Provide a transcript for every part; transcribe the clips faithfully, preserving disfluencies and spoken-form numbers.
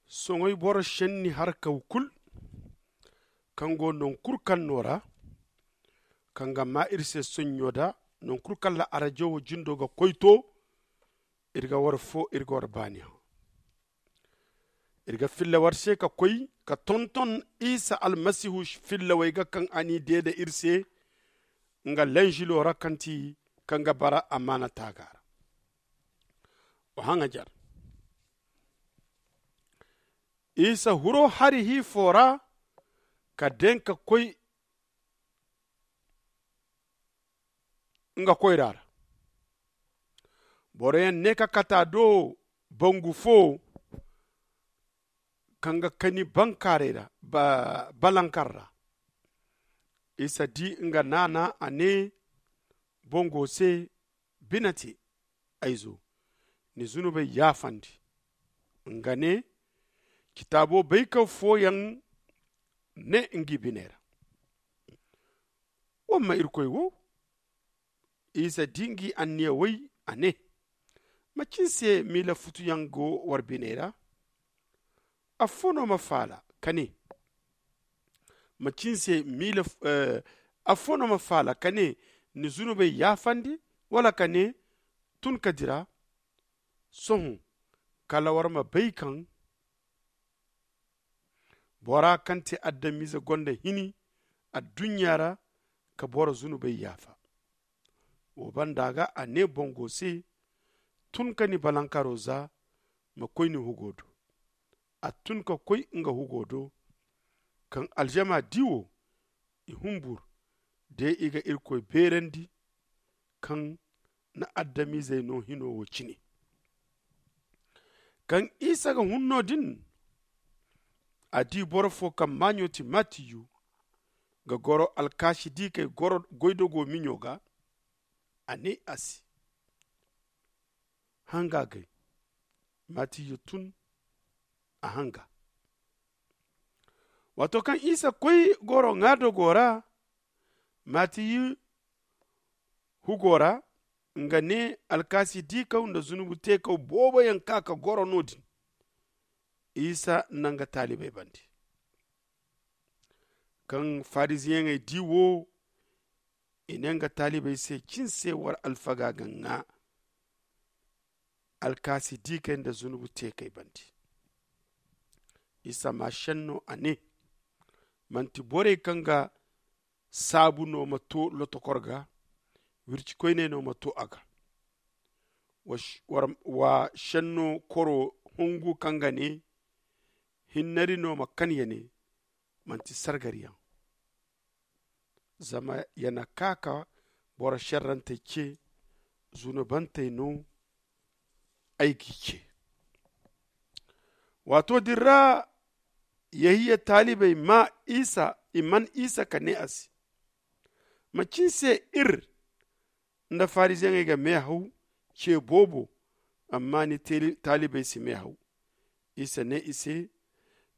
Soŋay boro šenni harkaw kul kaŋ go noŋ kul kaŋ no ra, kaŋ ga maa ir se soɲɲo da noŋ kul kaŋ ra arajo wo jindo ga koy to. Ir ga war fo ir ga war baani hã. Ir ga filla war se ka koy ka tonton isa almasihu fillawey ga kaŋ a n'i deede ir se nga lenžilo ra kaŋ ti kaŋ ga bara amaana taaga ra. Wa haŋajer isa huro hari hiifo ra ka den ka koy nga koyra ra. Boroyaŋ ne ka kata do bangu fo kaŋ ga kani bankaaray ra balankar ra. Isa di nga naana a ne bango se, bine te ay zo, ni zunubey yaafandi. Nga ne, citaabo bay kaŋ fooyaŋ ne ngi biney ra, wa ma irkoy wo. Isa di ngi anniya way a ne, macin se miila futuyaŋ go war biney ra? Affo no ma faala ka ne, macin se miila affo no ma faala ka ne, ni zunubey yaafandi, wala ka ne, tun ka dira? Sohõ kala war ma bay kaŋ bora kaŋ te adamize gonda hini adduɲɲa ra ka boro zunubey yaafa. Wo banda ga a ne bango se, tun ka ni balankaro za, ma koy ni hugo do. A tun ka koy nga hugo do. Kaŋ aljama di wo, i humbur de i ga irkoy beerandi kaŋ na adamizey no hino wo cine. Kaŋ isa ga hun no-din, a di boro fo kaŋ maaɲo ti matiyu ga goro alkaasi diikey goydogo miɲo ga. A ne a se, hanga gay. Matiyu tun a hanga. Waato kaŋ isa koy goro ŋaadogo ra, matiyu hugo ra, nga ne alkaasi diikaw nda zunubu teekaw booboyaŋ ka ka goro no-din. Isa na nga taalibey bande. Kaŋ fariziyeŋey di wo, i ne nga taalibey se, cin se war alfaga ga ŋaa alkaasi diikey nda zunubu teekey bande. Isa ma šenno a ne, manti borey kaŋ ga saabu no ma to lotokor ga, wircikoyney no ma to a ga. Wa šenno koro hungu kaŋ ga ne, hinnari no ma kan ya ne, manti sargariyaŋ. Zama ya na ka ka boro šerrantey ce, zunubantey no ay g'i ce. Waato din ra, yehiya taalibey ma isa i man isa ka ne a se, macin se ir nda fariziyeŋey ga meehaw ce boobo, amma ni taalibey si meehaw? Isa ne i se,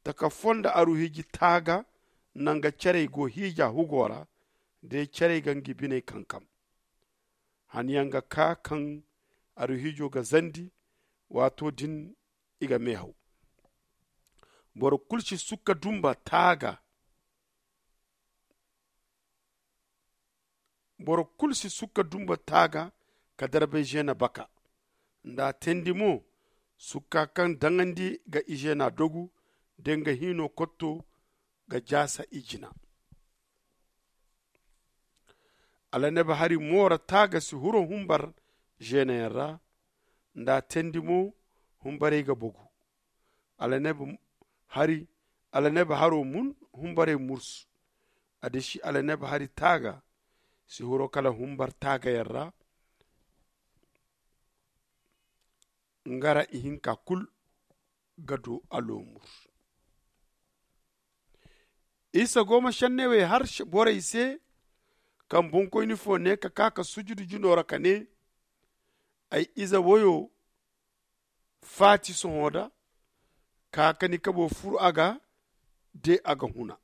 taka fonda aruhiji taaga nanga carey go hiija hugo ra, day carey ga ngi biney kankam. Han yaŋ ga kaa kaŋ aruhijo ga zandi, waato din i ga meehaw. Boro kulu si sukka dumba taaga. Boro kulu si sukka dumba taaga ka darbay zeena baka. Nda a teendi mo, sukka kaŋ daŋandi ga izeena dogu, da nga hiino kotto ga jaasa ijina. Alaneb hari moora taaga si huro humbar zeenayaŋ ra. Nda a teendi mo, humbarey ga bogu. Alaneb hari alaneb haro mun humbarey mursu. A disi alaneb hari taaga si huro kala humbar taagayaŋ ra. Nga ra ihinka kul ga du aloomur. Isa go ma šenney wey har borey se, kaŋ bonkoyni fo ne ka kaa ka sujudu jino ra ka ne, ay ize woyo faati sohõ da, ka ka ni kabo furu a ga, de a ga huna.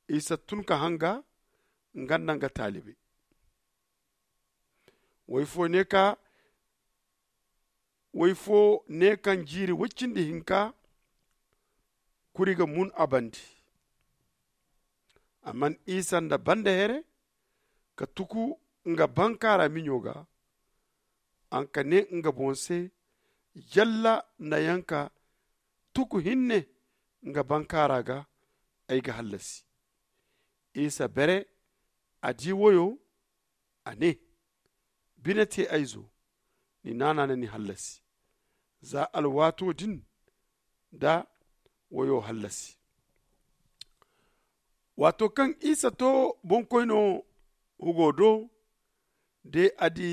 Isa tun ka hanga, nga nda nga taalibey. Woy fo ne ka woy fo ne kaŋ jiiri woy cindi hinka kuri ga mun a bande. A man isa nda banda here ka tuku nga bankaara miɲo ga. An ka ne nga boŋ se, yalla nda yaŋ ka tuku hinne nga bankaara ga, ay ga hallasi. Isa bere a di woyo, a ne, bine te ay zo, ni naana na ni hallasi. Za alwaato din da woyo hallasi. Waato kaŋ isa to boŋkoyno hugo do, de a di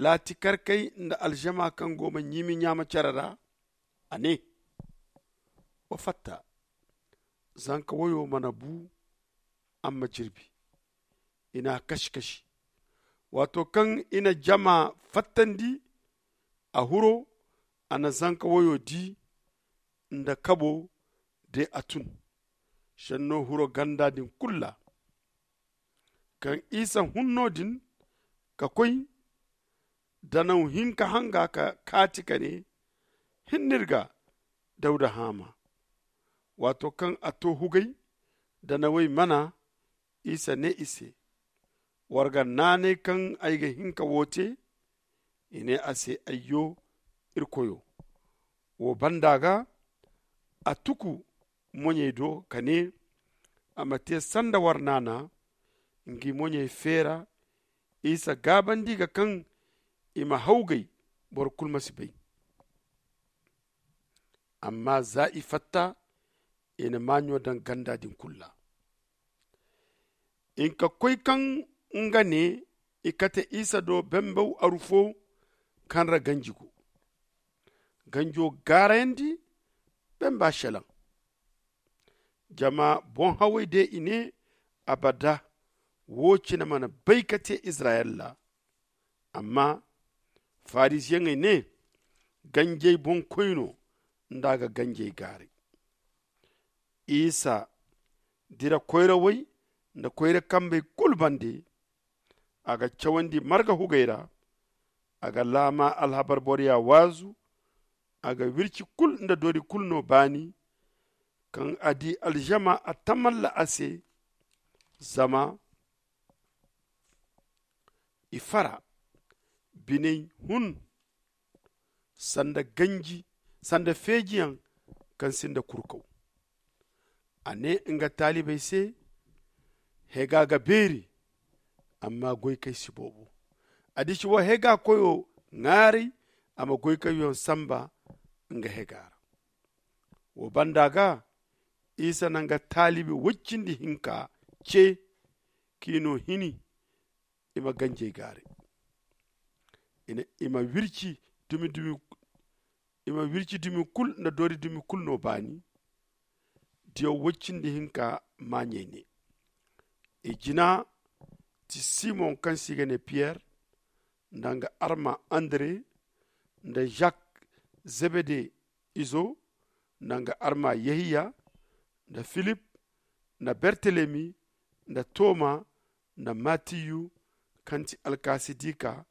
laati karkey nda alžama kaŋ go ma ɲimi ɲaama care ra, a ne, wa fatta, zanka woyo mana bu, amma jirbi. I n'a kashi kashi. Waato kaŋ i na jama fattandi, a huro, a na zanka woyo di nda kabo de a tun. Senno huro ganda din kulu ra. Kaŋ isa hun no-din ka koy, danaw hinka hanga ka kaati ka ne, hinne iri ga dawda haama. Waato kaŋ a to hugay, danawey mana, isa ne i se, war ga naanay kaŋ ay ga hin ka wo te? I ne a se, ayyo, iri koyo. Wo banda ga a tuku moɲey do ka ne, a ma te sanda war naana. Ngi moɲey feera isa gaabandi ga kaŋ i ma hawgay, boro kulu ma si bay. Amma za i fatta, i na maaɲo daŋ ganda din kulu ra. Hinka koy kaŋ nga ne i kate isa do bambaw aru fo kaŋ ra ganji go. Ganjo gaarayandi bamba selaŋ. Jama boŋ-hawey de i ne, abada, wo cine mana bay ka te izirayel ra. Amma farisiyeŋey ne, ganjey boŋ koy no, nda a ga ganjey gaaray. Isa dira koyrawey nda koyra kambey kulu bande. A ga cawandi marga hugey ra. A ga laama alhabar boroya waazu. A ga wirci kulu nda dori kulu no baani. Kaŋ a di alžama a tamalla a se. Zama i fara, biney hun sanda ganji, sanda feejiyaŋ kaŋ sinda kurkaw. A ne nga taalibey se, hega ga beeri, amma goykey si boobo. A disi wa hega koyo ŋwaaray, a ma goykey yaŋ samba nga hega ra. Wo banda ga isa na nga taalibi woy cindi hinka ce, k'i no hini i ma ganjey gaaray. I ma wirci dumi dumi i ma wirci dumi kulu nda doori dumi kulu no baani. Diyaw woy cindi hinka maaɲey ne, i jina ti simon kaŋ se i ga ne piyer, nda nga arma andre, nda zak, zebede izo, nda nga arma yehiya, nda filip, nda bertelemi, nda toma, nda matiyu, kaŋ ti alkaasi diika,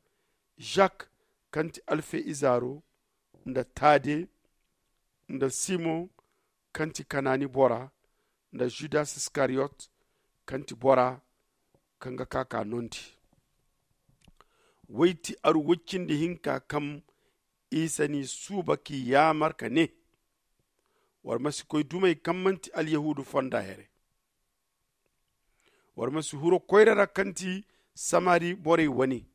zak, kaŋ ti alfe izaaro, nda tade, nda simon, kaŋ ti kanaani bora, nda zudas iskariyot, kaŋ ti bora kaŋ ga ka ka nondi. Woy ti aru woy cindi hinka kaŋ isa n'i suuba k'i yaamar ka ne, war ma si koy dumey kaŋ manti alyahuudu fonda here. War ma si huro koyra ra kaŋ ti samari borey wane.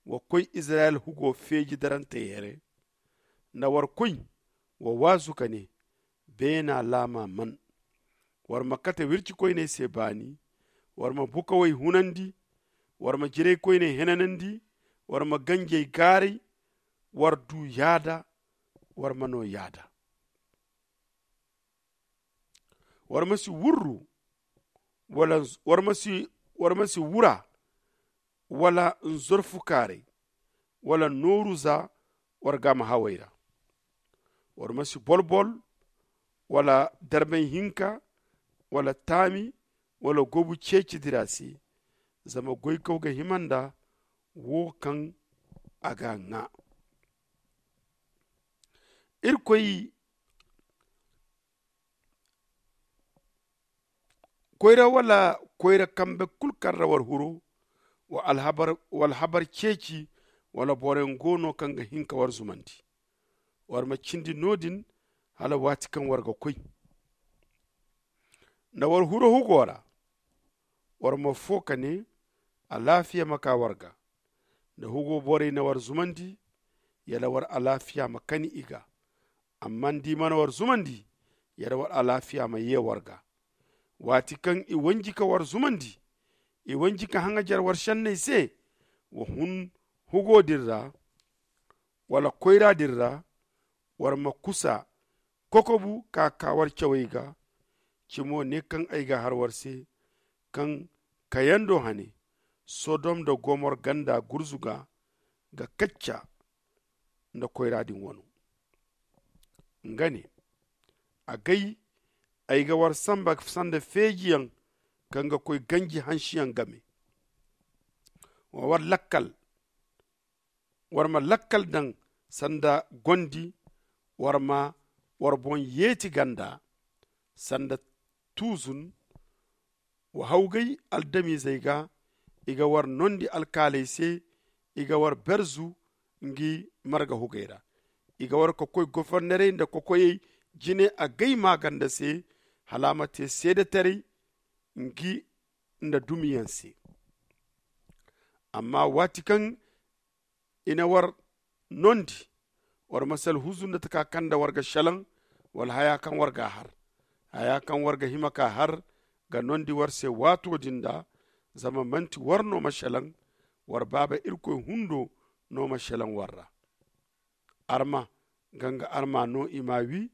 Wa koy izirayel hugo feeji darantey here, nda war koy wa waazu ka ne, beena laama man. War ma kate wircikoyney se baani. War ma bukawey hunandi. War ma jiraykoyney henanandi. War ma ganjey gaaray. War du yaada. War ma no yaada. War ma si wurru wala war ma si wura, wala nzorfu kaaray, wala nooru za war gaama hawey ra. War ma si bolbol, wala darbay hinka, wala taami, wala gobu ceeci dira se. Zama goykaw ga hima nda wo kaŋ a ga ŋaa. Irkoy koyra wala koyra kambe kulu kaŋ ra war huro, wa alhabar ceeci, wala boroyaŋ go no kaŋ ga hin ka war zumandi. War ma cindi no- din hala waati kaŋ war ga koy. Nda war huro hugo ra, war ma foo ka nee, alaafiya ma kaa war ga. Nda hugo borey na war zumandi, yala war alaafiya ma kani i ga. Amma nda i mana war zumandi, yala war alaafiya ma yee war ga. Waati kaŋ i wanji ka war zumandi, i wanji ka haŋajer war šenney se, wa hun hugo din ra, wala koyra din ra, war ma kusa kokobu ka kaa war cawey ga. Cimo ne kaŋ ay ga har war se, kaŋ kayando hane, sodom nda gomor ganda gurzuga ga kacca nda koyra din wano. Nga ne, agay, ay ga war samba sanda feejiyaŋ kaŋ ga koy ganji hansiyaŋ game. Wa war lakkal war ma lakkal daŋ sanda gondi. War ma war boŋ yeeti ganda sanda tuuzun. Wa hawgay aldamiizey ga, i ga war nondi alkaaley se, i ga war berzu ngi marga hugey ra. I ga war ka koy gofornerey nda kokoyey jine agay maaganda se, hala a ma te seedetaray ngi nda dumiyaŋ se. Amma waati kaŋ i na war nondi, war ma si alhuzu nda taka kaŋ nda war ga šelaŋ, wala haya kaŋ war ga a har. Haya kaŋ war ga hima ka har ga nondi war se waato din da. Zama manti war no ma šelaŋ, war baaba irkoy hundo no ma šelaŋ war ra. Arma ga nga arma no i m'a wi.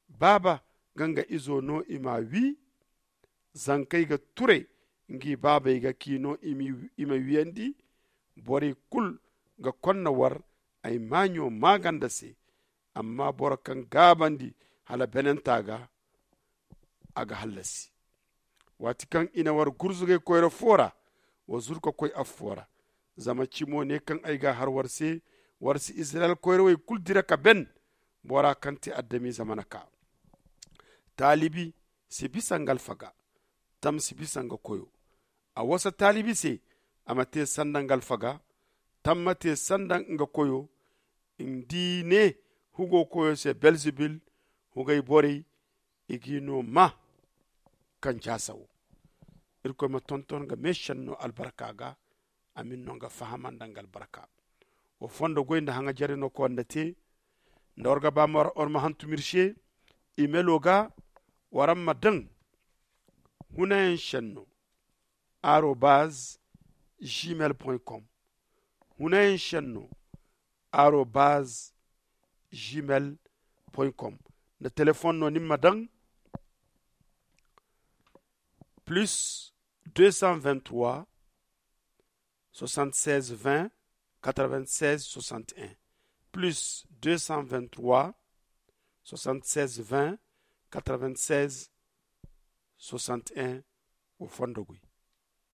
Baaba ga nga izo no i m'a wi. Zankey ga ture ngi baabey ga ki no i ma wiyandi. Borey kulu ga konna war ay maaɲo maaganda se. Amma boro kaŋ gaabandi hala benenta ga, a ga hallasi. Waati kaŋ i na war gurzugay koyra fo ra, wa zuru ka koy affo ra. Zama cimo ne kaŋ ay ga a har war se, war si izirayel koyrawey kulu dira ka ben. Bora kaŋ te adamize mana kaa. Taalibi si bisa nga alfaga. Tam si bisa nga koyo. A wasa taalibi se a ma te sanda nga alfaga. Tam ma te sanda nga koyo. Nda i ne hugo koyo se belzebil, hugay borey i g'i no maa. Kaŋ jaasa wo, irkoy ma tonton nga meešenno albarka ga. Amin no nga fahama nda nga albarka. Wa fondo goy nda haŋajerey no konda te. Nda war ga ba war ma hantum ir se, imelo ga war ma daŋ hunayaŋ šenno arobaz gmail point com. Hunayaŋ šenno arobaz gmail point com. Nda telefon no ni ma daŋ plus deux cent vingt trois soixante seize vingt quatre vingt seize soixante un. Plus deux cent vingt trois soixante seize vingt quatre vingt seize soixante un. Wa fondo goy.